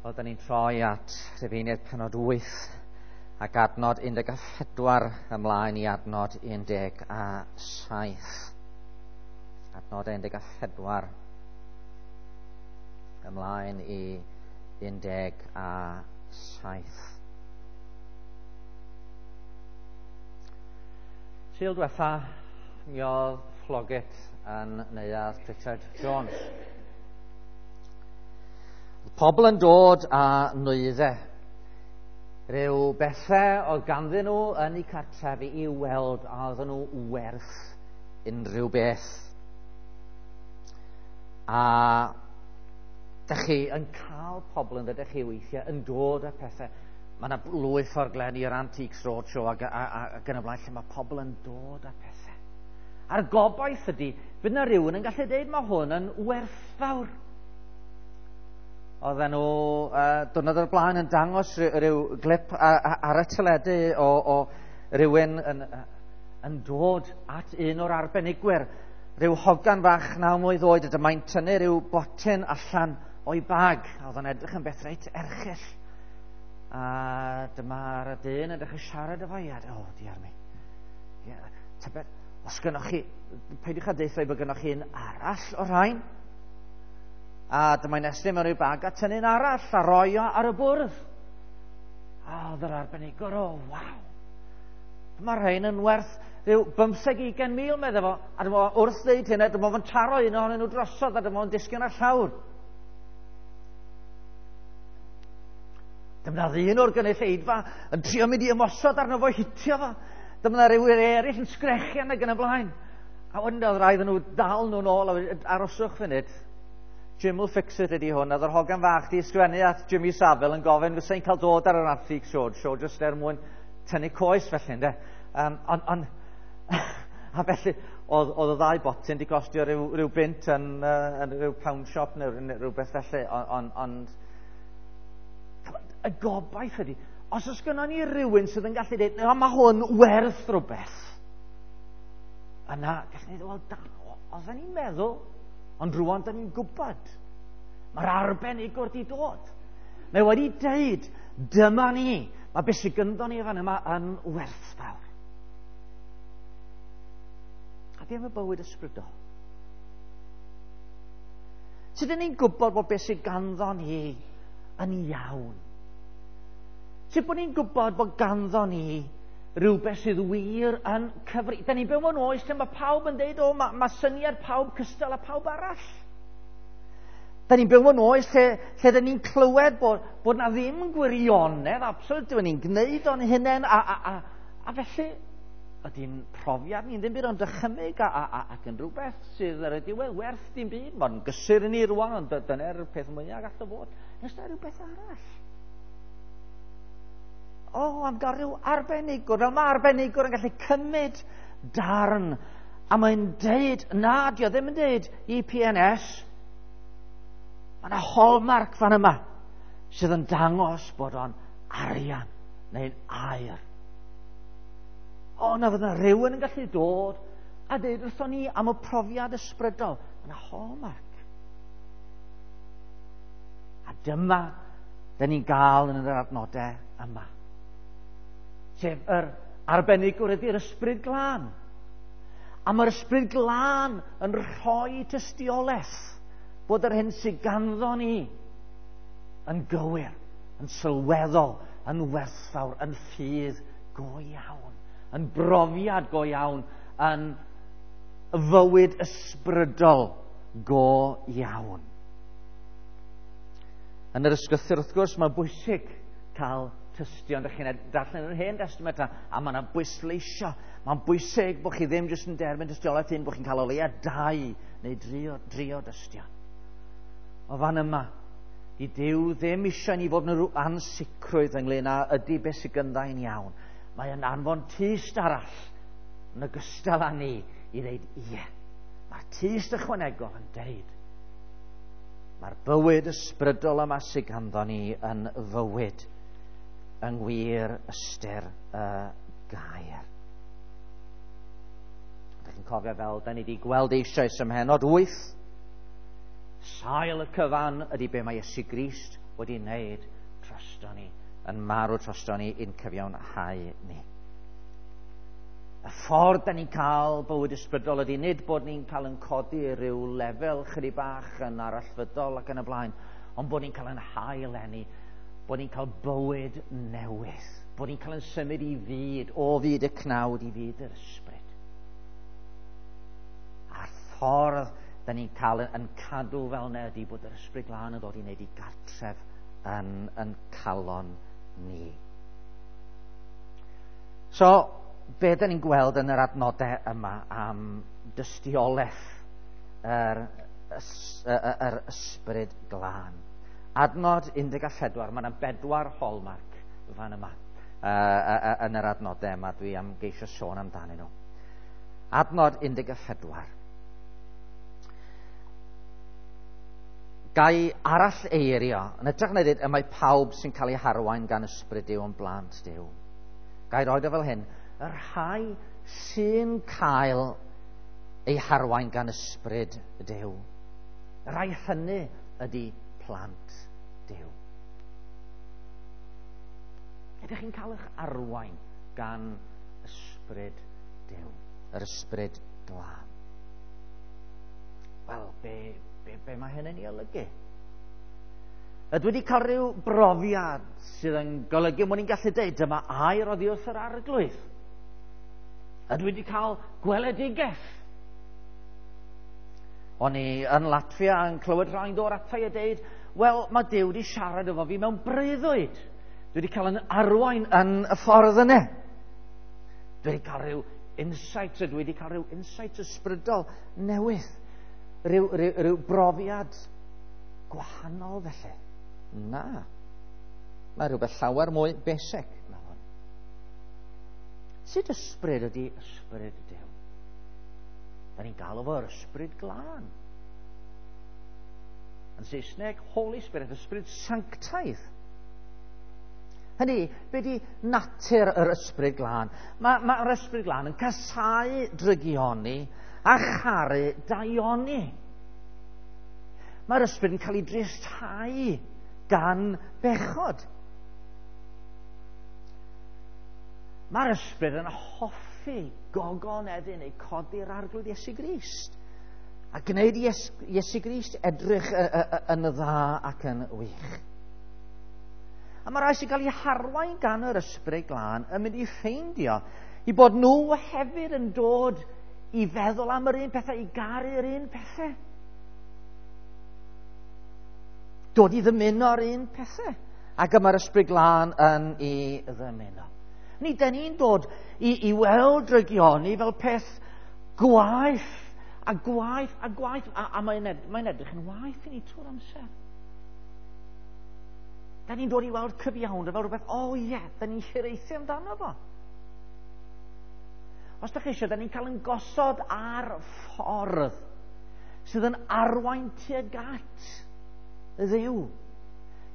Wel, da ni'n troi at Rhufeiniaid penod 8 ac adnod 14 ymlaen i adnod 17. Adnod 14 ymlaen i 17. Sul diwetha, mi oedd Floggit yn neuadd Richard Jones. Pobl yn dod â nwyddau. Rhyw bethau oedd ganddyn nhw yn eu cartrefi i weld a oedden nhw werth unrhyw beth. A dych chi yn cael pobl yn dydych chi weithiau yn dod â pethau. Mae yna lwyth o'r glen i'r Antiques Roadshow ac, ac yn y blaen lle mae pobl yn dod â pethau. A'r gobaith ydy, fydd yna rhywun yn gallu dweud mae hwn yn werthfawr. Oedden nhw diwrnod o'r blaen yn dangos rhyw glip ar y teledu o rywun yn dod at un o'r arbenigwyr. Rhyw hogan fach 9 mlwydd oed, a dyma'n tynnu rhyw botyn allan o'i bag. Oedd o'n edrych yn beth reit erchyll. A dyma'r dyn yn dechrau siarad efo i, a o, diar mi. Ie, tybed, os gynnoch chi, peidiwch â deutha i bod gynnoch chi un arall o'r rhain. A dyma'n estyn mewn i'w bag a tynnu'n arall a roi o ar y bwrdd. A oedd yr arbenigwr, o, waw. Mae'r rhain yn werth rhyw 15-20 mil, medde fo. A dyma wrth ddeud hynna, dyma fo'n taro un ohonyn nhw drosodd a dyma fo'n disgyn ar llawr. Dyma ddyn o'r gynulleidfa yn trio mynd i ymosod arno fo, hitio fo. Dyma rhywun eraill yn sgrechian ac yn y blaen. A wedyn oedd rhaid nhw dal nhw'n ôl, a aroswch funud. Jim will fix it ydi hwn. Oedd yr hogan fach di ysgrifennu at Jimmy Savile yn gofyn fysa i'n cael dod ar yr Antique Roadshow jyst er mwyn tynnu coes felly, ynde. A felly, oedd y ddau botyn di costio rhyw bunt yn rhyw pound shop neu rhywbeth felly, ond y gobaith ydi, os oes gynnon ni rhywun sydd yn gallu dweud, na, mae hwn werth rhywbeth, yna, gallwn ni ddweud, wel, da, oedden ni'n meddwl, ond rwan da ni'n gwybod. Mae'r arbenigwr di dod. Mae wedi deud, dyma ni. Mae beth sydd gynddo ni fan yma yn werthfawr. A be am y bywyd ysbrydol? Sut ydyn ni'n gwybod bod beth sydd ganddo ni yn iawn? Sut bod ni'n gwybod bod ganddo ni rhywbeth sydd wir yn cyfri? Da ni'n byw mewn oes lle mae pawb yn deud, o, mae syniad pawb cystal â pawb arall. Da ni'n byw mewn oes lle da ni'n clywed bod na ddim gwirionedd, absolut, da ni'n gwneud o'n hunain, a felly ydy'n profiad ni'n ddim byd ond dychymyg ac yn rhywbeth sydd ar y diwedd werth dim byd. Mae'n gysur i ni rwan, ond dyna'r peth mwyaf gall o fod. Nes na rhywbeth arall. O, am gael rhyw arbenigwr. Fel mae arbenigwr yn gallu cymryd darn. A mae'n deud, na, dio ddim yn deud EPNS. Mae yna hallmark fan yma sydd yn dangos bod o'n arian neu'n aur. O, na fydd yna rhywun yn gallu dod a deud wrthon ni am y profiad ysbrydol. Mae yna hallmark. A dyma dyn ni'n gael yn yr adnodau yma. Sef yr arbenigwr ydy'r Ysbryd Glân. A mae'r Ysbryd Glân yn rhoi tystiolaeth bod yr hyn sydd ganddo ni yn gywir, yn sylweddol, yn werthfawr, yn ffydd go iawn, yn brofiad go iawn, yn fywyd ysbrydol go iawn. Yn yr ysgrythur, wrth gwrs, mae'n bwysig cael tystion. Dych chi'n darllen yr Hen Testament a mae yna bwysleisio. Mae'n bwysig bod chi ddim jyst yn derbyn tystiolaeth un, bod chi'n cael o leia 2 neu 3 o dystion. O fan yma, di Duw ddim eisiau ni fod yn rhyw ansicrwydd ynglyn â ydy beth sydd gyndau'n iawn. Mae yn anfon tyst arall yn ogystal â ni i ddeud ie. Mae'r tyst ychwanegol yn deud mae'r bywyd ysbrydol yma sydd ganddo ni yn fywyd yng ngwir ystyr y gair. Dych chi'n cofio fel da ni wedi gweld eisoes ym mhennod 8, sail y cyfan ydy be mae Iesu Grist wedi wneud drosto ni, yn marw drosto ni i'n cyfiawnhau ni. Y ffordd da ni'n cael bywyd ysbrydol ydy nid bod ni'n cael yn codi rhyw lefel chydig bach yn arallfydol ac yn y blaen, ond bod ni'n cael yn hael enni, bod ni'n cael bywyd newydd, bod ni'n cael yn symud i fyd, o fyd y cnawd i fyd yr ysbryd. A'r ffordd da ni'n cael yn cadw fel yna ydy bod yr ysbryd glân yn dod i wneud i gartref yn calon ni. So, be da ni'n gweld yn yr adnodau yma am dystiolaeth yr ysbryd glân? Adnod 14, mae yna 4 hallmark fan yma yn yr adnodau yma, dwi am geisio sôn amdanyn nhw. Adnod 14. Gai arall eirio, yn hytrach na dweud y mae pawb sy'n cael ei harwain gan ysbryd Duw yn blant Duw. Gai roed o fel hyn, y rhai sy'n cael ei harwain gan ysbryd Duw. Y rhai hynny ydy plant Duw. Ydych chi'n cael eich arwain gan ysbryd Duw, yr ysbryd glân? Wel, be mae hyn yn ei olygu? Ydw wedi cael rhyw brofiad sydd yn golygu mod i'n gallu dweud dyma air oddi wrth yr Arglwydd. Ydw wedi cael gweledigaeth. O'n i yn Latfia yn clywed rhai'n dod ata i a deud, wel, mae Duw wedi siarad efo fi mewn breuddwyd. Dwi wedi cael yn arwain yn y ffordd yna. Dwi wedi cael rhyw insight, dwi wedi cael rhyw insight ysbrydol newydd. Rhyw brofiad gwahanol felly. Na. Mae rhywbeth llawer mwy basic na hwn. Sut ysbryd ydy ysbryd Duw? Da ni'n galw fo'r ysbryd glân. Yn Saesneg, Holy Spirit, ysbryd sanctaidd. Hynny, be di natur yr ysbryd glân? Mae'r ysbryd glân yn casáu drygioni a charu daioni. Mae'r ysbryd yn cael ei dristhau gan bechod. Mae'r ysbryd yn hoffi gogoneddu neu codi'r Arglwydd Iesu Grist a gwneud Iesu Grist edrych yn dda ac yn wych. A mae rhai sy'n cael eu harwain gan yr ysbryd glân yn mynd i ffeindio i bod nhw hefyd yn dod i feddwl am yr un pethau, i garu'r un pethau. Dod i ddymuno'r un pethau. Ac y mae'r ysbryd glân yn ei ddymuno. Ni, da ni'n dod i weld drygioni fel peth gwaeth a gwaeth a gwaeth. A mae'n edrych yn waeth i ni trwy'r amser. Da ni'n dod i weld cyfiawnder fel rhywbeth, o ie, da ni'n hiraethu amdano fo. Os da chi eisiau, da ni'n cael yn gosod ar ffordd sydd yn arwain tuag at y Dduw,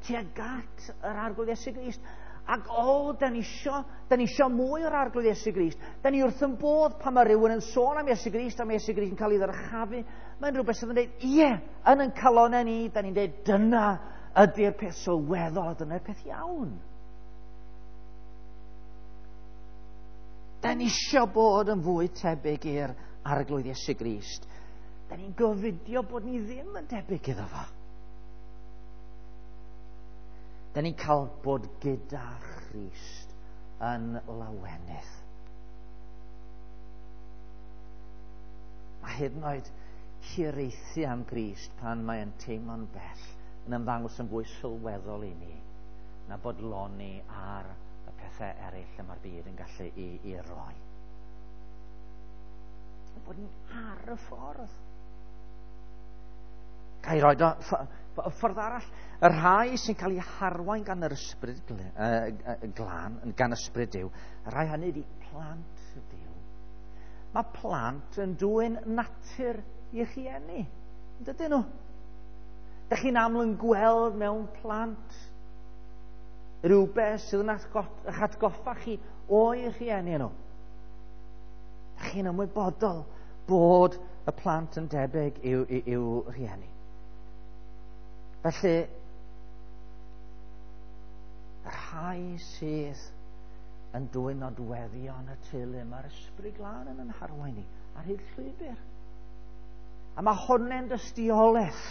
tuag at yr Arglwydd Iesu Grist. Ac o, da ni isio mwy o'r Arglwydd Iesu Grist. Da ni wrth yn bodd pan mae rhywun yn sôn am Iesu Grist, am Iesu Grist yn cael ei ddyrchafu. Mae'n rhywbeth sydd yn dweud, ie, yn ein calonnau ni, da ni'n dweud, dyna ydy'r peth sylweddol a dyna'r peth iawn. Da ni isio bod yn fwy tebyg i'r Arglwydd Iesu Grist. Da ni'n gofidio bod ni ddim yn debyg iddo fo. Da ni'n cael bod gyda Christ yn lawenydd. Mae hyd yn oed hiraethu am Grist pan mae'n teimlo'n bell yn ymddangos yn fwy sylweddol i ni na bodloni ar y pethau eraill y mae'r byd yn gallu i roi. Bod ni ar y ffordd. Ga i roed o ffordd arall, y rhai sy'n cael eu harwain gan yr ysbryd glân, gan ysbryd Duw, y rhai hynny ydy plant Duw. Mae plant yn dwyn natur i rhieni, dydyn nhw? Dych chi'n aml yn gweld mewn plant rhywbeth sydd yn eich atgoffa chi o'i rhieni nhw. Dych chi'n ymwybodol bod y plant yn debyg i'w rhieni. Felly, rhai sydd yn dwyn nodweddion y teulu, mae'r Ysbryd Glân yn yn harwain ni ar hyd llwybr. A mae hwnna'n dystiolaeth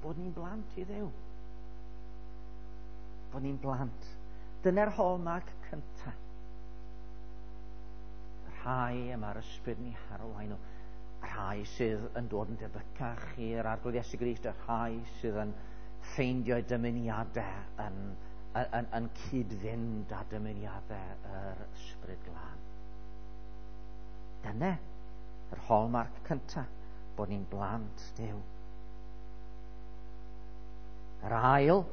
bod ni'n blant i Dduw. Bod ni'n blant. Dyna'r hallmark cyntaf. Y rhai y mae'r Ysbryd ni harwain nhw. Y rhai sydd yn dod yn debycach i'r Arglwydd Iesu Grist, y rhai sydd yn ffeindio'u dymuniadau yn cyd-fynd â dymuniadau yr Ysbryd Glân. Dyna yr hallmark cyntaf, bod ni'n blant Duw. Yr ail,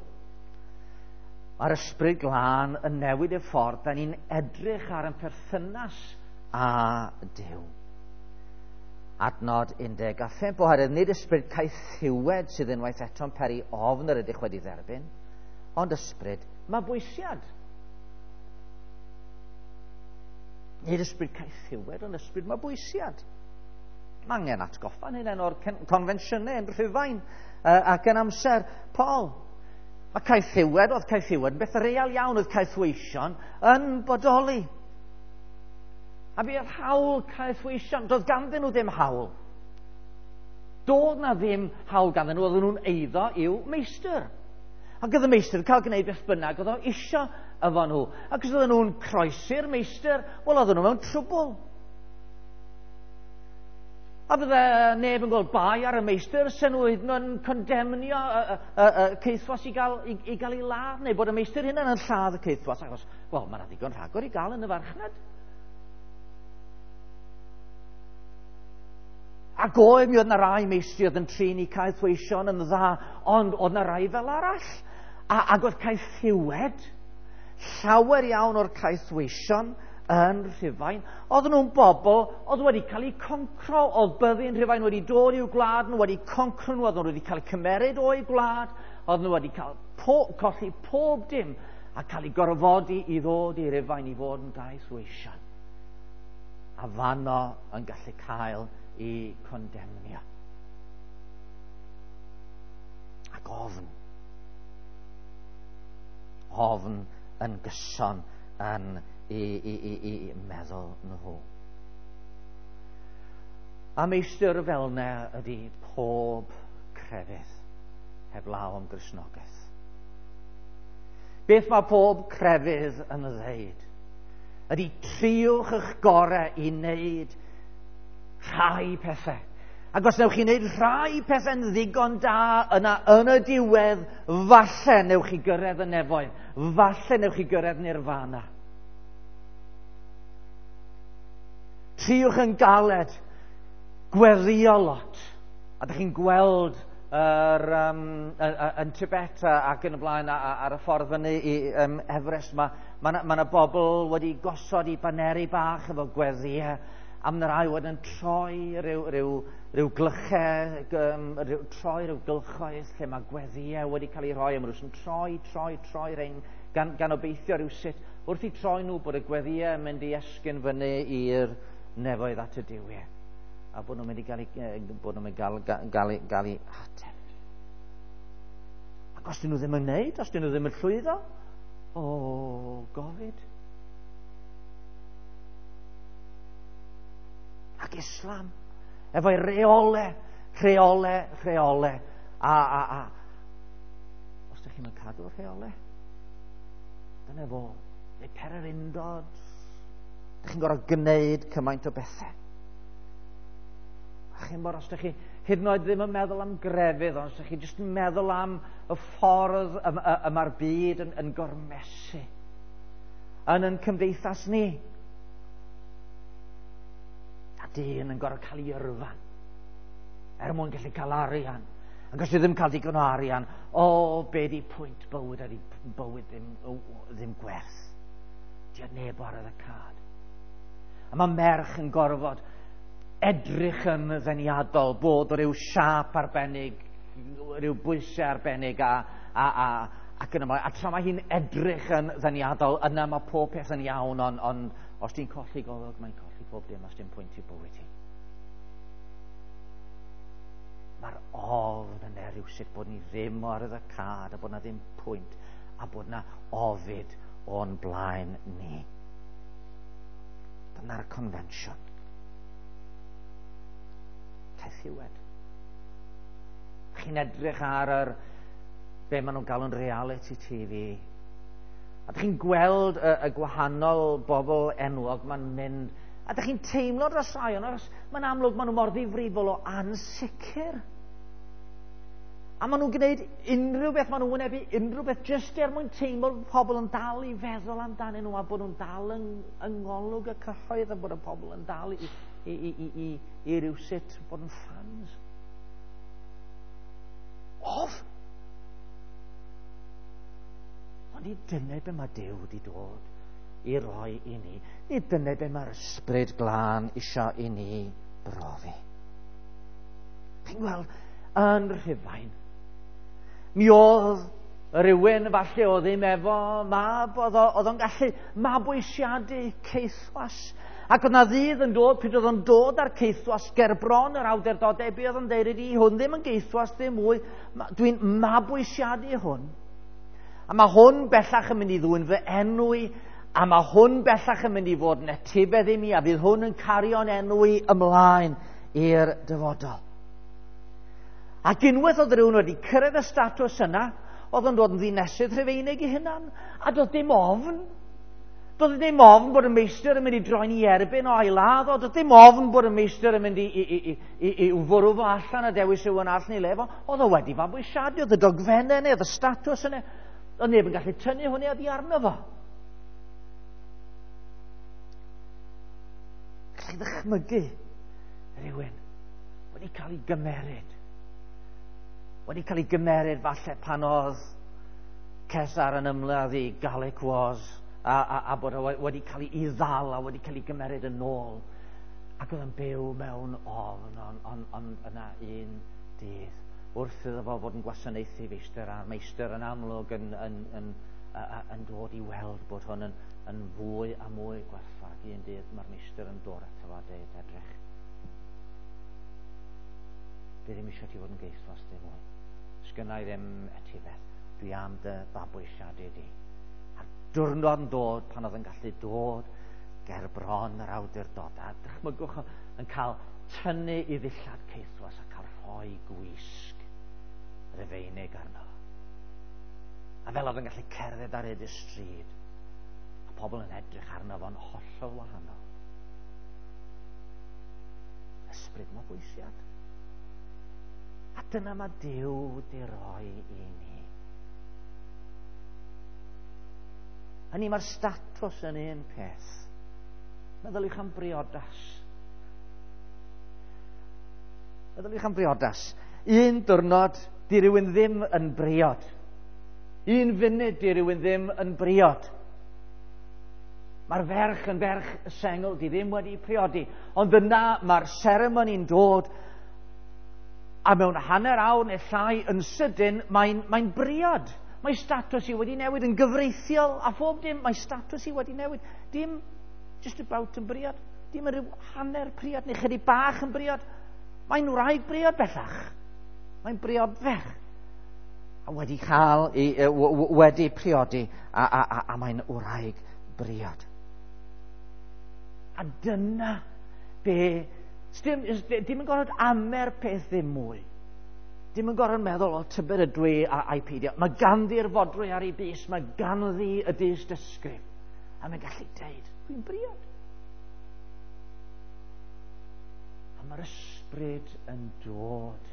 mae'r Ysbryd Glân yn newid y ffordd da ni'n edrych ar ein perthynas â Duw. Adnod 15, oherwydd nid ysbryd caethiwed sydd unwaith eto'n peri ofn yr ydych wedi dderbyn, ond ysbryd mabwysiad. Nid ysbryd caethiwed, ond ysbryd mabwysiad. Mae angen atgoffa'n hunain o'r confensiynau yn Rhufain ac yn amser Paul. Mae caethiwed, oedd caethiwed yn beth real iawn, oedd caethweision yn bodoli. A bu oedd hawl caethweision, doedd ganddyn nhw ddim hawl. Doedd na ddim hawl ganddyn nhw, oedden nhw'n eiddo i'w meistr. Ac oedd y meistr yn cael gwneud beth bynnag oedd o isio efo nhw. Ac os oedden nhw'n croesi'r meistr, wel oedden nhw mewn trwbl. A bydde neb yn gweld bai ar y meistr, sy'n nhw hyd yn oed yn condemnio y caethwas i gael ei ladd, neu bod y meistr hynna'n yn lladd y caethwas, achos, wel, mae yna ddigon rhagor i gael yn y farchnad. Ac oedd, mi oedd yna rai meistri oedd yn trin i caethweision yn dda, ond oedd yna rai fel arall. Ac oedd caethiwed, llawer iawn o'r caethweision yn Rhufain, oedden nhw'n bobl oedd wedi cael eu concro, oedd byddin Rhufain wedi dod i'w gwlad nhw, wedi concro nhw, oedden nhw wedi cael eu cymeryd o'u gwlad, oedden nhw wedi cael colli pob dim a cael eu gorfodi i ddod i Rufain i fod yn gaethweision. A fanno yn gallu cael eu condemnio. Ac ofn. Ofn yn gyson yn i meddwl nhw. A meistr fel 'na ydy pob crefydd heblaw am Gristnogaeth. Beth mae pob crefydd yn ddeud ydy triwch eich gorau i wneud rhai pethau. Ac os newch chi wneud rhai pethau'n ddigon da, yna yn y diwedd, falle newch chi gyrraedd y nefoedd. Falle newch chi gyrraedd nirfana. Triwch yn galed, gweddio lot. A ydych chi'n gweld yn Tibet ac yn y blaen ar y ffordd fyny i Everest, mae 'na bobl wedi gosod i baneri bach efo gweddiau, a mae 'na rai wedyn yn troi rhyw glychau, troi rhyw gylchoedd lle mae gweddiau wedi cael eu rhoi, a maen nhw'n troi, troi, troi rhain, gan obeithio rhyw sut, wrth i troi nhw bod y gweddiau yn mynd i esgyn fyny i'r nefoedd at y duwiau, a bod nhw'n mynd i gael ei, bod nhw'n mynd i gael ei ateb. Ac os dyn nhw ddim yn gwneud, os dyn nhw ddim yn llwyddo, o, gofid. Ac Islam, efo'i reole, rheole, rheole, a os ydych chi'n cadw'r rheole, dyna fo, neu pererindod, ydych chi'n gorfod gwneud cymaint o bethau. A chi'n bod, os ydych chi hyd yn oed ddim yn meddwl am grefydd, ond os ydych chi jyst yn meddwl am y ffordd y mae'r byd yn gormesu yn cymdeithas ni. A dyn yn gorfod cael ei yrfa er mwyn gallu cael arian. Ac os ti ddim cael digon o arian, o, be di pwynt bywyd a di bywyd ddim gwerth. Di o neb ar y cad. A mae merch yn gorfod edrych yn ddeniadol, bod o ryw siâp arbennig, rhyw bwysau arbennig ac yn ymlaen. A tra mae hi'n edrych yn ddeniadol, yna mae pob peth yn iawn, ond os ti'n colli golwg, mae'n colli pob dim, os dim pwynt i bywyd hi. Mae'r ofn yna rhywsut bod ni ddim o ar y cad a bod na ddim pwynt. a bod na ofid o'n blaen ni. Dyna'r confensiwn. Caethiwed. Chi'n edrych ar yr be maen nhw'n galw'n reality TV. A dych chi'n gweld y gwahanol bobl enwog ma'n mynd, a dych chi'n teimlo dros rai o'n achos mae'n amlwg maen nhw mor ddifrifol o ansicr. A maen nhw'n gwneud unrhyw beth, maen nhw'n wynebu unrhyw beth jyst er mwyn teimlo bod pobl yn dal i feddwl amdanyn nhw a bod nhw'n dal yng ngolwg y cyhoedd a bod y pobl yn dal i rywsut bod yn ffans. Of! Ond nid dyna be mae Duw wedi dod i roi i ni. Nid dyna be mae'r Ysbryd Glân isio i ni brofi. Chi'n gweld, yn Rhufain, mi oedd rhywun falle oedd ddim efo mab, oedd o'n gallu mabwysiadu caethwas. Ac oedd na ddydd yn dod, pryd oedd o'n dod ar caethwas ger bron yr awdurdodau, be oedd o'n deud ydi, hwn ddim yn gaethwas, ddim mwy, dwi'n mabwysiadu hwn. A mae hwn bellach yn mynd i ddwyn fy enw i, a mae hwn bellach yn mynd i fod yn etifedd i mi, a fydd hwn yn cario'n enw i ymlaen i'r dyfodol. Ac unwaith oedd rhywun wedi cyrraedd y statws yna, oedd o'n dod yn ddinesydd Rhufeinig i hunan, a doedd dim ofn. Doedd dim ofn bod y meistr yn mynd i droi'n ei erbyn o a'i ladd o. Doedd dim ofn bod y meistr yn mynd i fwrw fo allan a dewis rhywun arall neu le fo. Oedd o wedi fabwysiadu, oedd y dogfennau neu, oedd y statws yna. Oedd neb yn gallu tynnu hwnna oddi arno fo. Gallai ddychmygu rhywun wedi cael ei gymeryd. Wedi cael ei gymeryd falle pan oedd Cesar yn ymladd i Gallic Wars a bod o wedi cael ei ddal a wedi cael ei gymeryd yn ôl. Ac oedd yn byw mewn ofn, ond yna un dydd wrth iddo fo fod yn gwasanaethu feistr a'r meistr yn amlwg yn dod i weld bod hwn yn fwy a mwy gwerthfawr. Un dydd mae'r meistr yn dod ato fo a dweud, edrych, dwi ddim eisiau ti fod yn geithwas dim mwy. Sgynna i ddim etifedd. Dwi am dy fabwysiadu di. A'r diwrnod yn dod pan oedd yn gallu dod ger bron yr awdurdod. A dychmygwch yn cael tynnu i ddillad caethwas a cael rhoi gwisg Rufeinig arno. A fel oedd yn gallu cerdded ar hyd y stryd, a pobl yn edrych arno fo'n hollol wahanol. Ysbryd mabwysiad. A dyna mae Duw wedi roi i ni. Hynny mae'r statws yn un peth. Meddyliwch am briodas. Meddyliwch am briodas. Un diwrnod, di rywun ddim yn briod. Un funud, di rywun ddim yn briod. Mae'r ferch yn ferch sengl, di ddim wedi priodi. Ond yna mae'r seremoni'n dod, a mewn hanner awr neu llai yn sydyn, mae'n briod. Mae statws i wedi newid yn gyfreithiol a phob dim. Mae statws i wedi newid. Dim just about yn briod. Dim yn rhyw hanner priod neu chydig bach yn briod. Mae'n wraig briod bellach. Mae'n briod ferch. A wedi cael ei, wedi priodi a mae'n wraig briod. A dyna be... Dim yn gorfod amer peth ddim mwy. Dim yn gorfod meddwl, o, tybed ydw i a'i peidio. Mae ganddi'r fodrwy ar ei bys, mae ganddi y dystysgrif. A mae'n gallu deud, dwi'n briod. A mae'r ysbryd yn dod.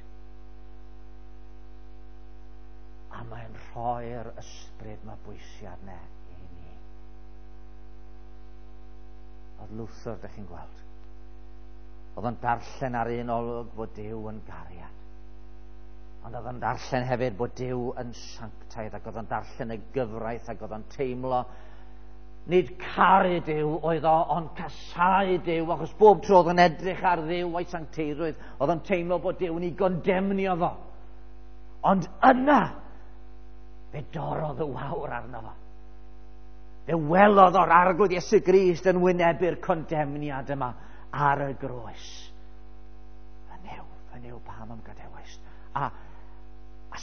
A mae'n rhoi'r ysbryd mabwysiad ne i ni. Oedd Luther, dych chi'n gweld. Oedd o'n darllen ar un olwg fod Duw yn gariad. Ond oedd o'n darllen hefyd bod Duw yn sanctaidd, ac oedd o'n darllen y gyfraith, ac oedd o'n teimlo nid caru Duw oedd o, ond casau Duw, achos bob tro oedd o'n edrych ar Dduw a'i sancteirwydd, oedd o'n teimlo bod Duw yn ei gondemnio fo. Ond yna, fe dorrodd y wawr arno fo. Fe welodd o'r Arglwydd Iesu Grist yn wynebu'r condemniad yma ar y groes. Fy Nuw, fy Nuw, pam am gadewais? A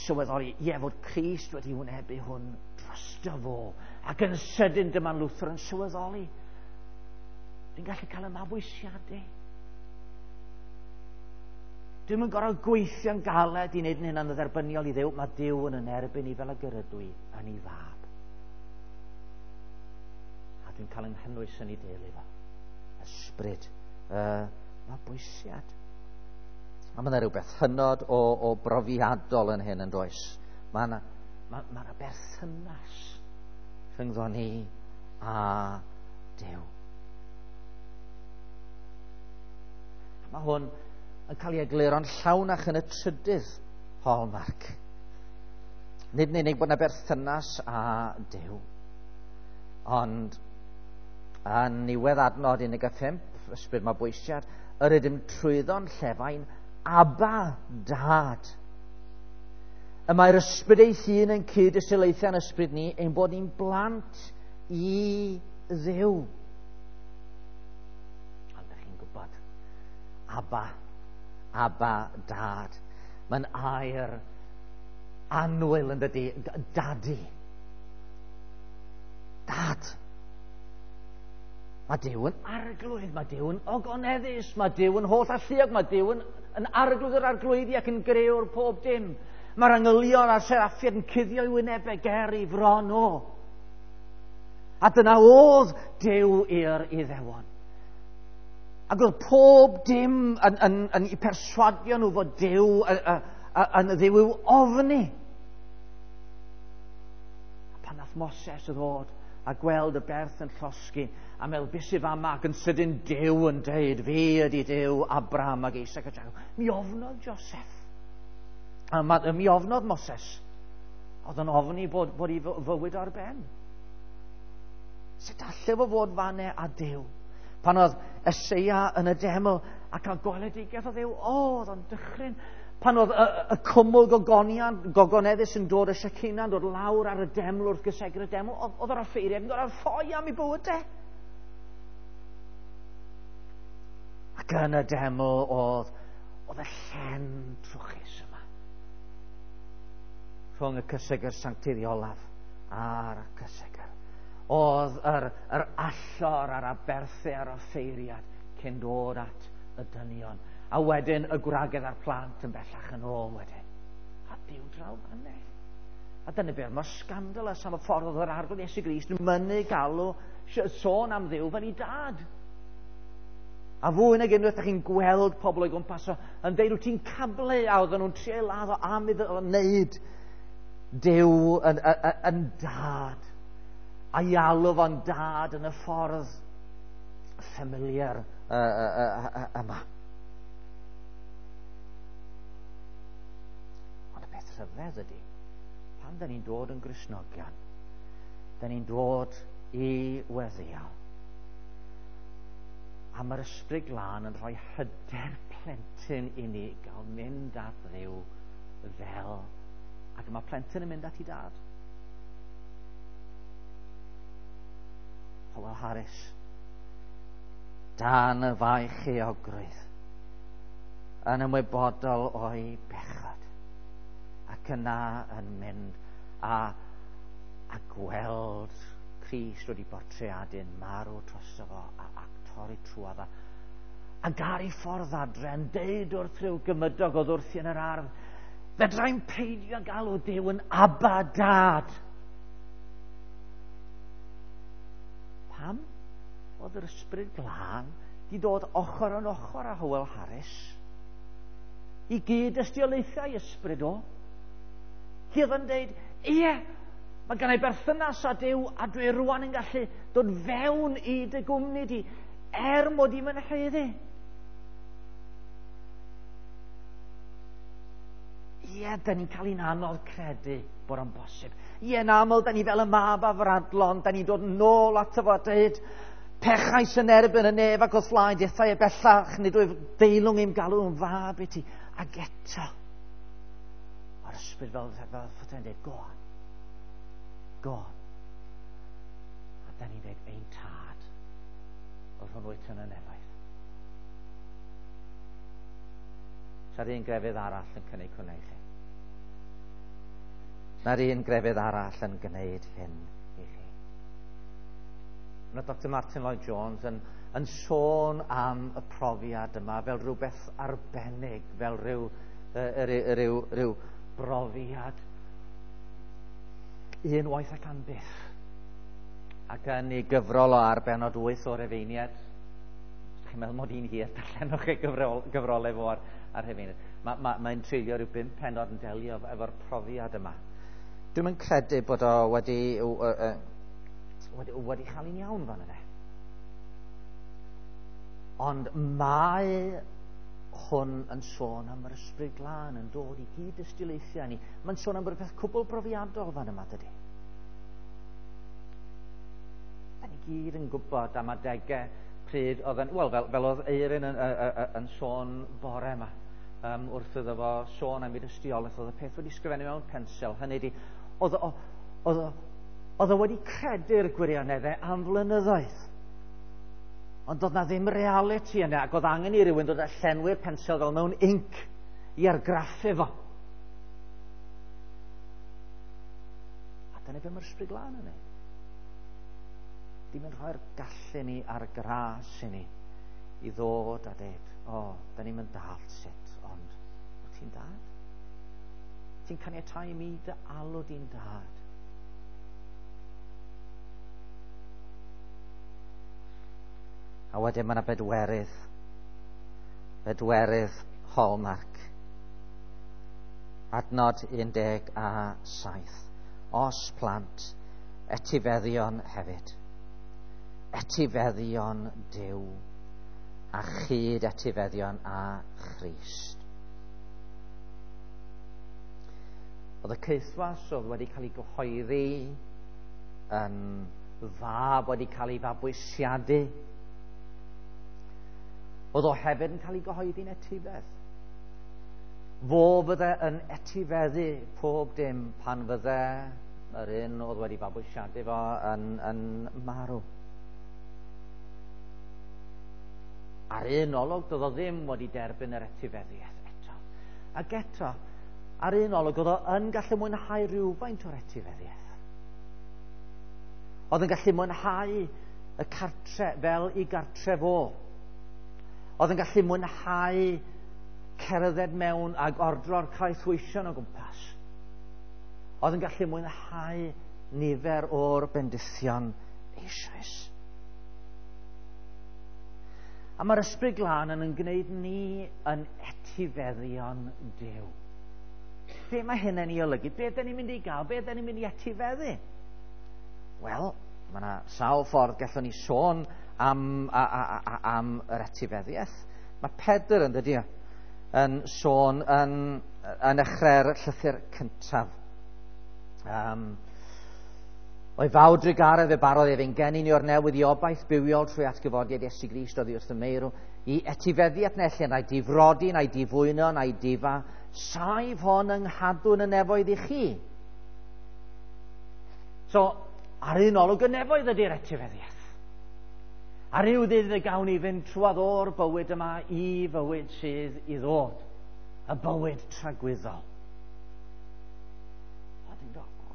sylweddoli, ie, fod Crist wedi wynebu hwn drosto fo. Ac yn sydyn dyma Luther yn sylweddoli. Dwi'n gallu cael y mabwysiadu. Dwi'm yn gorfod gweithio'n galed i wneud yn hynna'n dderbyniol i Dduw. Mae Duw yn yn erbyn i fel y gyrydw i yn ei fab. A dwi'n cael yng nghynnwys yn ei deulu fo. Ysbryd y mabwysiad. A mae yna rhywbeth hynod o brofiadol yn hyn yn does. Mae yna ma berthynas rhyngddo ni a Duw. Mae hwn yn cael ei egluro'n llawnach yn y trydydd hallmark. Nid yn unig bod yna berthynas â Duw, ond yn niwedd adnod 15, ysbryd mabwysiad, yr ydym trwyddo'n llefain, Abba, Dad. Y mae'r ysbryd ei hun yn cyd-ystyriaethau'n ysbryd ni, ein bod ni'n blant i Dduw. Ond ydych chi'n gwybod, Abba, Abba, Dad. Mae'n air annwyl yn dydy, Daddy. Dad. Mae Duw yn arglwydd, mae Duw yn ogoneddus, mae Duw yn holl alluog, mae Duw yn arglwydd yr arglwyddi ac yn grëwr pob dim. Mae'r angylion a'r seraffiaid yn cuddio i wynebau ger i fron o. A dyna oedd Duw i'r Iddewon. Ac oedd pob dim yn eu perswadio nhw fod Duw yn Dduw i'w ofni. A pan nath Moses ddod a gweld y berth yn llosgi, a meddwl, beth sydd fama, ac yn sydyn Duw yn deud, fi ydi Duw Abraham ac Isaac a Jacob. Mi ofnodd Joseph. A mi ofnodd Moses. Oedd yn ofni bod ei fywyd ar ben. Sut alle fo fod fanne a Duw? Pan oedd Eseia yn y deml a cael gweledigaeth o Dduw, oedd o'n dychryn. Pan oedd y cwmwl gogoneddus yn dod, y Shekinah yn dod lawr ar y deml wrth gysegr y deml, oedd yr offeiriad yn gorfod ffoi am ei bywydau. Ac yn y deml oedd y llen trwchus yma. Rhwng y cysegr sancteiddiolaf a'r cysegr. Oedd yr allor a'r aberthau a'r offeiriad cyn dod at y dynion. A wedyn y gwragedd a'r plant yn bellach yn ôl wedyn. A Duw draw fanne. A dyna beth mor scandalous am y ffordd oedd yr Arglwydd Iesu Grist yn mynnu galw sôn am Dduw fel ei dad. A fwy nag unwaith ydych chi'n gweld pobl o'i gwmpas o yn deud wyt ti'n cablu, a oedden nhw'n trio ei ladd o am iddo fo wneud Duw yn dad. A i alw fo'n dad yn y ffordd familiar yma. Ond y peth rhyfedd ydy, pan da ni'n dod yn Gristnogion, da ni'n dod i weddio. A mae'r Ysbryd Glân yn rhoi hyder plentyn i ni gael mynd at Dduw fel, ac mae plentyn yn mynd at ei dad. Howell Harris, dan y faich euogrwydd, yn ymwybodol o'i bechod, ac yna yn mynd a gweld Crist wedi bortreadu'n marw drosto fo a torri trwodd a ar ei ffordd adre yn deud wrth rhyw gymydog oedd wrthi yn yr ardd, fedrai'm peidio galw Duw yn Abba Dad. Pam oedd yr Ysbryd Glân di dod ochr yn ochr â Howell Harris i gyd ystiolaethau ysbryd o? Hi oedd yn deud, ie, mae gen i berthynas â Duw a dwi rwan yn gallu dod fewn i dy gwmni di er mod i'm yn haeddu. Ie, da ni'n cael ein anodd credu bod o'n bosib. Ie, yn aml, da ni fel y mab afradlon, da ni'n dod nôl ato fo a dweud, pechais yn erbyn y nef ac wrth flaen, dethau e bellach, nid wyf deilwng i'm galw yn fab i ti. Ac eto, mae'r ysbryd fel ffytau'n dweud, go on, go on. A da ni'n dweud, ein tad, o'r hwn wyt yn y nefoedd. Sa'r un grefydd arall yn cynnig hwnna i chi. Na'r un grefydd arall yn gwneud hyn i chi. Mae Dr Martin Lloyd Jones yn sôn am y profiad yma fel rhywbeth arbennig, fel rhyw brofiad unwaith ac am byth. Ac yn ei gyfrol o ar bennod 8 o'r Rhufeiniaid, os chi'n meddwl mod i'n hir, darllenwch ei gyfrolau fo ar Rhufeiniaid. Mae'n treulio rhyw 5 pennod yn delio efo'r profiad yma. Dwi'm yn credu bod o wedi chael un iawn fan yna. Ond mae hwn yn sôn am yr Ysbryd Glân yn dod i gyd-dystiolaethau ni. Mae'n sôn am rhywbeth cwbl brofiadol fan yma, dydy. Da ni gyd yn gwybod am adegau pryd oedd yn... Wel, fel oedd Eirin yn sôn bore yma, wrth iddo fo sôn am ei dystiolaeth, oedd y peth wedi sgrifennu mewn pensel. Hynny ydi, oedd o wedi credu'r gwirioneddau am flynyddoedd. Ond doedd na ddim reality yna, ac oedd angen i rywun dod â llenwi'r pensel fel mewn inc i argraffu fo. A dyna be mae'r Ysbryd Glân yn neud. Dim yn rhoi'r gallu ni a'r gras i ni i ddod a dweud, o, da ni'n mynd dallt sut, ond wyt ti'n dad? Ti'n caniatáu i mi dy alw di'n dad? A wedyn mae yna bedwerydd hallmark. Adnod 17. Os plant, etifeddion hefyd. Etifeddion Duw a chyd etifeddion a Christ. Oedd y caethwas oedd wedi cael ei gyhoeddi yn fab, wedi cael ei fabwysiadu. Oedd o hefyd yn cael ei gyhoeddi'n etifedd. Fo fydde yn etifeddu pob dim pan fydde yr un oedd wedi fabwysiadu fo yn marw. Ar un olwg, doedd o ddim wedi derbyn yr etifeddiaeth eto. Ac eto, ar un olwg, oedd o yn gallu mwynhau rhywfaint o'r etifeddiaeth. Oedd yn gallu mwynhau y cartre fel i gartre fo. Oedd yn gallu mwynhau cerdded mewn ag ordro'r caethweision o gwmpas. Oedd yn gallu mwynhau nifer o'r bendithion eisoes. A mae'r Ysbryd Glân yn gwneud ni yn etifeddion Duw. Be mae hyn yn ei olygu? Be dyn ni'n mynd i gael? Be dyn ni'n mynd i etifeddu? Wel, mae yna sawl ffordd gallwn ni sôn am yr etifeddiaeth. Mae Pedr yn dydy yn sôn yn dechrau'r llythyr cyntaf. O'i fawr drugaredd fe barodd ef ein geni ni o'r newydd i obaith bywiol trwy atgyfodiad Iesu Grist oddi wrth y meirw, i etifeddiaeth na ellir na'i difrodi, na'i difwyno, na'i difa, saif hon yng nghadw'n y nefoedd i chi. So, ar un olwg y nefoedd ydy'r etifeddiaeth. A ryw ddydd y gawn ni fynd trwadd o'r bywyd yma i fywyd sydd i ddod, y bywyd tragwyddol.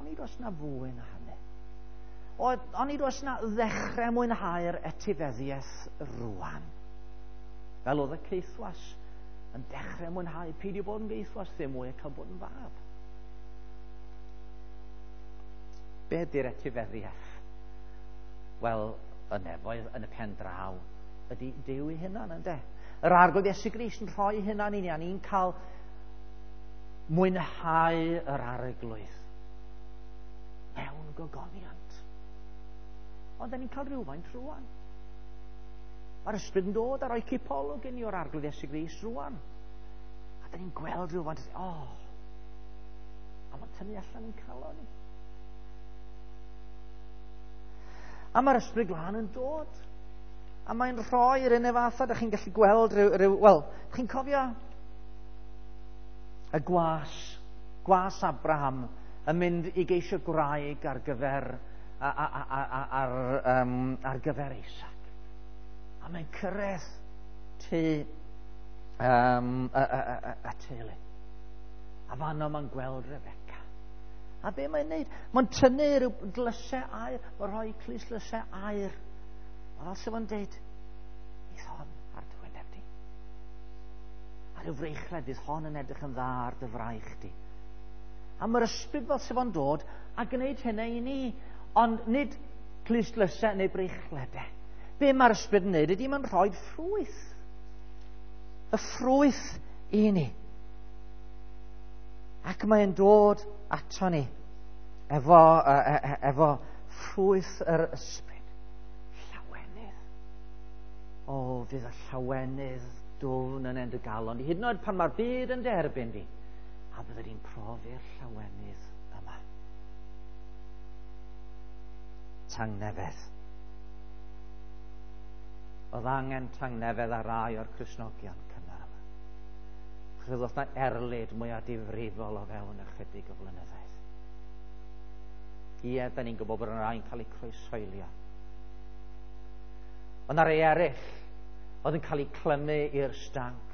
Onid oes na fwy na hynny? Onid oes na ddechrau mwynhau'r etifeddiaeth rwan? Fel oedd y caethwas yn dechrau mwynhau, peidio bod yn geithwas ddim mwy a cael bod yn fab. Be ydy'r etifeddiaeth? Wel, y nefoedd yn y pen draw ydy Duw ei hunan, ynde? Yr Arglwydd Iesu Grist yn rhoi hunan i ni, a ni'n cael mwynhau yr Arglwydd mewn gogoniant. Ond da ni'n cael rhywfaint rwan. Mae'r Ysbryd yn dod a rhoi cipolwg i ni o'r Arglwydd Iesu Grist rwan. A da ni'n gweld rhywfaint, a mae'n tynnu allan yn calon ni. A mae'r Ysbryd Glân yn dod. A mae'n rhoi'r un fath, a da chi'n gallu gweld wel, chi'n cofio y gwas Abraham yn mynd i geisio gwraig ar gyfer ar gyfer Isaac. A mae'n cyrraedd tŷ y teulu. A fanno mae'n gweld Rebecca. A be mae'n neud? Mae'n tynnu rhyw dlysau aur, mae'n rhoi clustdlysau aur. Mae fel sef o'n deud, fydd hon ar dy wyneb di. A rhyw freichled, fydd hon yn edrych yn dda ar dy fraich di. A mae'r ysbryd fel sef o'n dod a gwneud hynna i ni, ond nid clustdlysau neu breichledau. Be mae'r ysbryd yn neud ydy mae'n rhoi ffrwyth. Y ffrwyth i ni. Ac mae'n dod ato ni efo ffrwyth yr ysbryd. Llawenydd. O, fydd y llawenydd dwfn yn end y galon di. Hyd yn oed pan mae'r byd yn derbyn di. A bydde di'n profi'r llawenydd yma. Tangnefedd. Oedd angen tangnefedd ar rai o'r Cristnogion cynnar yma. Achos oedd 'na erlid mwyaf difrifol o fewn ychydig o flynyddoedd. Ie, da ni'n gwybod bod yna rai'n cael eu croeshoelio. Ond 'na rei eraill oedd yn cael eu clymu i'r stanc,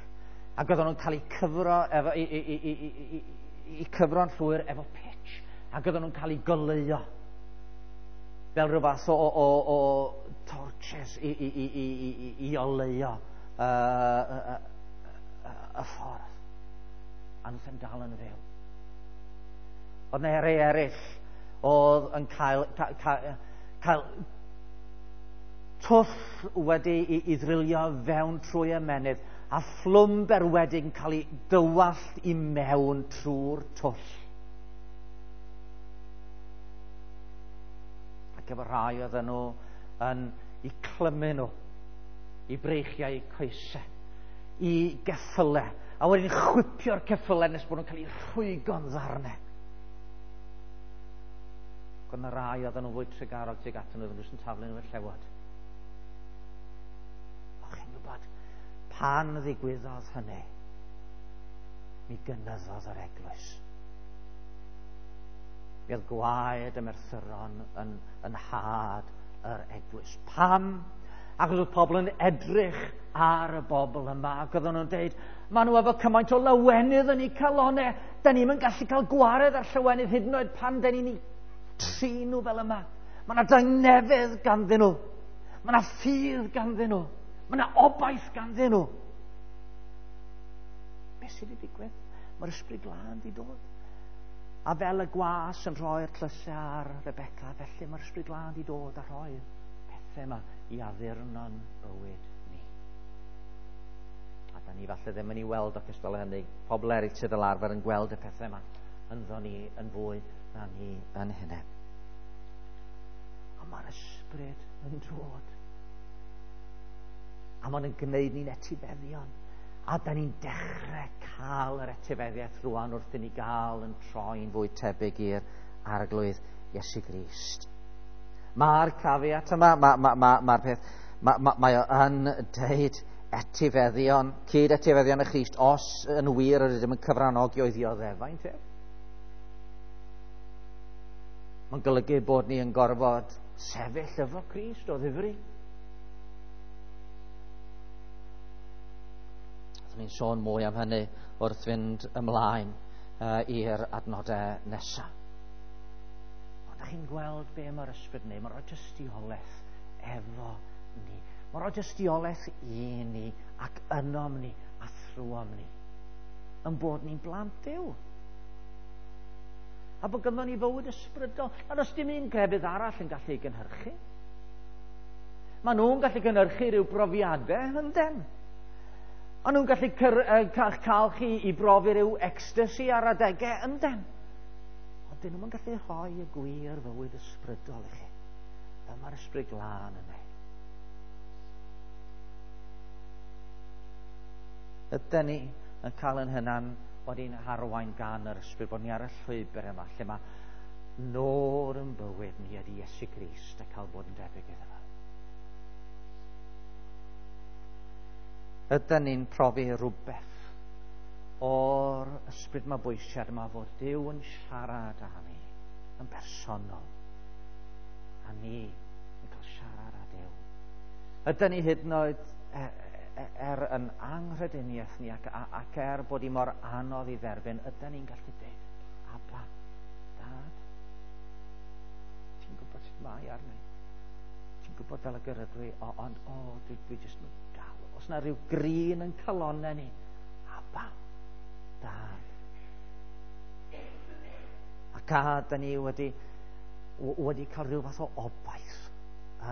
ac oedden nhw'n cael eu cyfro efo, i cyfro'n llwyr efo pitch, ac oedden nhw'n cael eu goleuo fel rhyw fath o torches i oleuo y ffordd. A nhw'n yn dal yn fyw. Oedd 'na rei eraill oedd yn cael twll wedi i ddrilio fewn trwy ymennydd, a phlwm berwedig yn cael ei dywallt i mewn trwy'r twll. Ac efo rhai oedden nhw yn i clymu nhw, i breichiau coesau, i geffylau, a wedyn chwipio'r ceffylau nes bod nhw'n cael eu rhwygo'n ddarnau. Ac oedd yna rai oedden nhw'n fwy trugarog tuag atyn nhw, oedden nhw jyst yn taflu nhw i'r llewod. O, chi'n gwybod, pan ddigwyddodd hynny, mi gynyddodd yr eglwys. Mi oedd gwaed y merthyron yn had yr eglwys. Pam? Achos oedd pobl yn edrych ar y bobl yma, ac oedden nhw'n deud, maen nhw efo cymaint o lawenydd yn eu calonau, da ni'm yn gallu cael gwared ar llawenydd hyd yn oed pan da ni'n eu trin nhw fel yma. Mae yna dangnefedd ganddyn nhw. Mae yna ffydd ganddyn nhw. Mae yna obaith ganddyn nhw. Beth sydd wedi digwydd? Mae'r Ysbryd Glân wedi dod. A fel y gwas yn rhoi'r tlysau ar Rebecca, felly mae'r Ysbryd Glân wedi dod a rhoi'r pethau yma i addurno'n bywyd ni. A da ni falle ddim yn ei weld o cystal â hynny. Pobl eraill sydd fel arfer yn gweld y pethau yma ynddo ni yn fwy na ni yn hynny. Ond mae'r Ysbryd yn dod. A mae'n gwneud ni'n etifeddion. A da ni'n dechrau cael yr etifeddiaeth rwan wrth i ni gael yn troi'n fwy tebyg i'r Arglwydd Iesu Grist. Mae'r caveat yma, mae'r peth, mae o yn deud etifeddion, cyd-etifeddion y Christ, os yn wir yr ydym yn cyfranogi o'i ddioddefaint ef. Mae'n golygu bod ni yn gorfod sefyll efo Crist o ddifri. Ni'n sôn mwy am hynny wrth fynd ymlaen i'r adnodau nesaf. Ond ydych chi'n gweld be mae'r ysbryd yn neud? Mae'n rhoi tystiolaeth efo ni. Mae'n rhoi tystiolaeth i ni ac ynom ni a thrwom ni. Yn bod ni'n blant Duw. A bod ganddo ni fywyd ysbrydol. A does dim un grefydd arall yn gallu ei gynhyrchu. Maen nhw'n gallu gynhyrchu rhyw brofiadau, ynden? Maen nhw'n gallu cael chi i brofi rhyw ecstasy ar adegau, ynden? Ond dyn nhw'n gallu rhoi y gwir fywyd ysbrydol i chi. Fel mae'r Ysbryd Glân yn neud. Yden ni yn cael yn hynan wedi'n harwain gan yr Ysbryd, bod ni ar y llwybr yma, lle mae nod yn bywyd ni ydy Iesu Grist a cael bod yn debyg iddo fo. Yden ni'n profi rhywbeth o'r ysbryd mabwysiad yma fod Duw yn siarad â ni yn bersonol, a ni yn cael siarad â Duw. Yden ni hyd yn oed er yn anghrediniaeth ni ac er bod hi mor anodd i dderbyn, yden ni'n gallu dweud, Abba, Dad. gwybod sut mae arna i. Ti'n gwybod fel y gyrrydw i, ond dwi jyst yn galw. Os na rhyw grin yn calonau ni, Abba, Dad. Ac a da ni wedi cael rhyw fath o obaith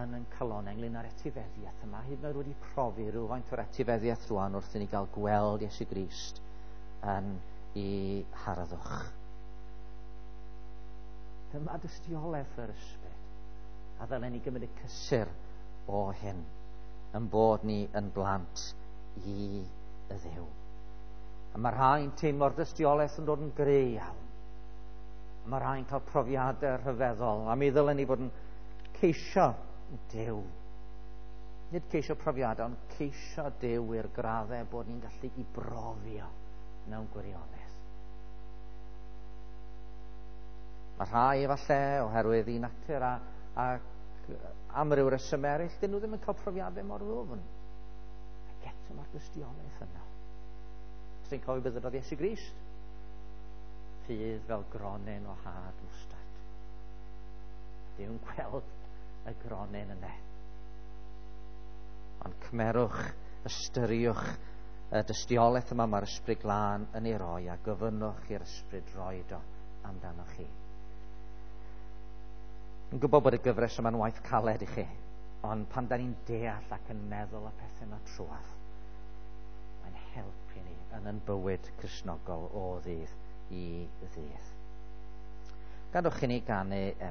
yn yn calonau ynglyn â'r etifeddiaeth yma. Hyd yn oed wedi profi rhywfaint o'r etifeddiaeth rwan wrth i ni gael gweld Iesu Grist yn ei harddwch. Dyma dystiolaeth yr ysbryd. A ddylen ni gymryd y cysur o hyn, yn bod ni yn blant i y Dduw. A mae rhai'n teimlo'r dystiolaeth yn dod yn gry iawn. A mae rhai'n cael profiadau rhyfeddol. A mi ddylen ni fod yn ceisio Duw. Nid ceisio profiadau, ond ceisio Duw i'r graddau bod ni'n gallu i brofio mewn gwirionedd. Mae rhai efallai oherwydd i natur a am ryw reswm eraill, dyn nhw ddim yn cael profiadau mor ddwfn. Ac eto mae'r dystiolaeth yna. Os ti'n cofio beth ydodd Iesu Grist? Ffydd fel gronyn o had mwstard. Dyw'n gweld y gronyn yna. Ond cymerwch, ystyriwch y dystiolaeth yma mae'r Ysbryd Glân yn ei roi a gofynnwch i'r Ysbryd roed o amdanoch chi. Yn gwybod bod y gyfres yma'n waith caled i chi, ond pan da ni'n deall ac yn meddwl y pethau yma trwadd, mae'n helpu ni yn yn bywyd Cristnogol o ddydd i ddydd. Gadwch i ni ganu emyn.